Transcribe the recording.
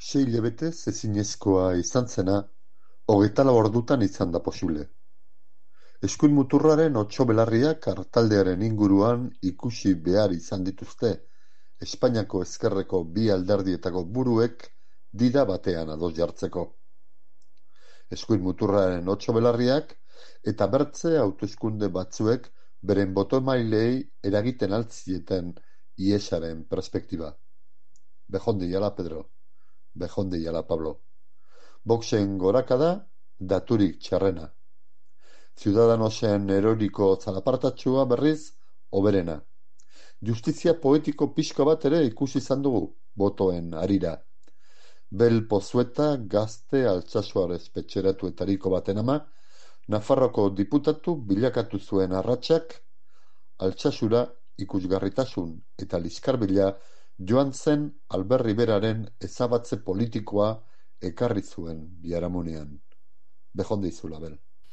Sei hilabetez ezinezkoa izan zena, 24 ordutan izan da posible. Eskuin muturraren otso belarriak artaldearen inguruan ikusi behar izan dituzte, Espainiako ezkerreko bi alderdietako buruek dida batean ados jartzeko. Eskuin muturraren otso belarriak eta bertze hauteskunde batzuek beren boto-emaileei eragiten altzieten iesaren perspektiba. Bejonde jala, Pedro. Bejonde jala, Pablo. Voxen gorakada, daturik txarrena. Ciudadanosen eroriko zalapartatxua berriz, hoberena. Justizia poetiko pixka bat ere ikusi izan dugu, botoen harira. Bel Pozueta gazte Altsasuarez petxeratuetariko baten ama, Nafarroko diputatu bilakatu zuen arratsak, Altsasura ikusgarritasun eta liskarbila joan zen Albert Riberaren ezabatze politikoa ekarri zuen biharamunean. Bejonde izula, Bel.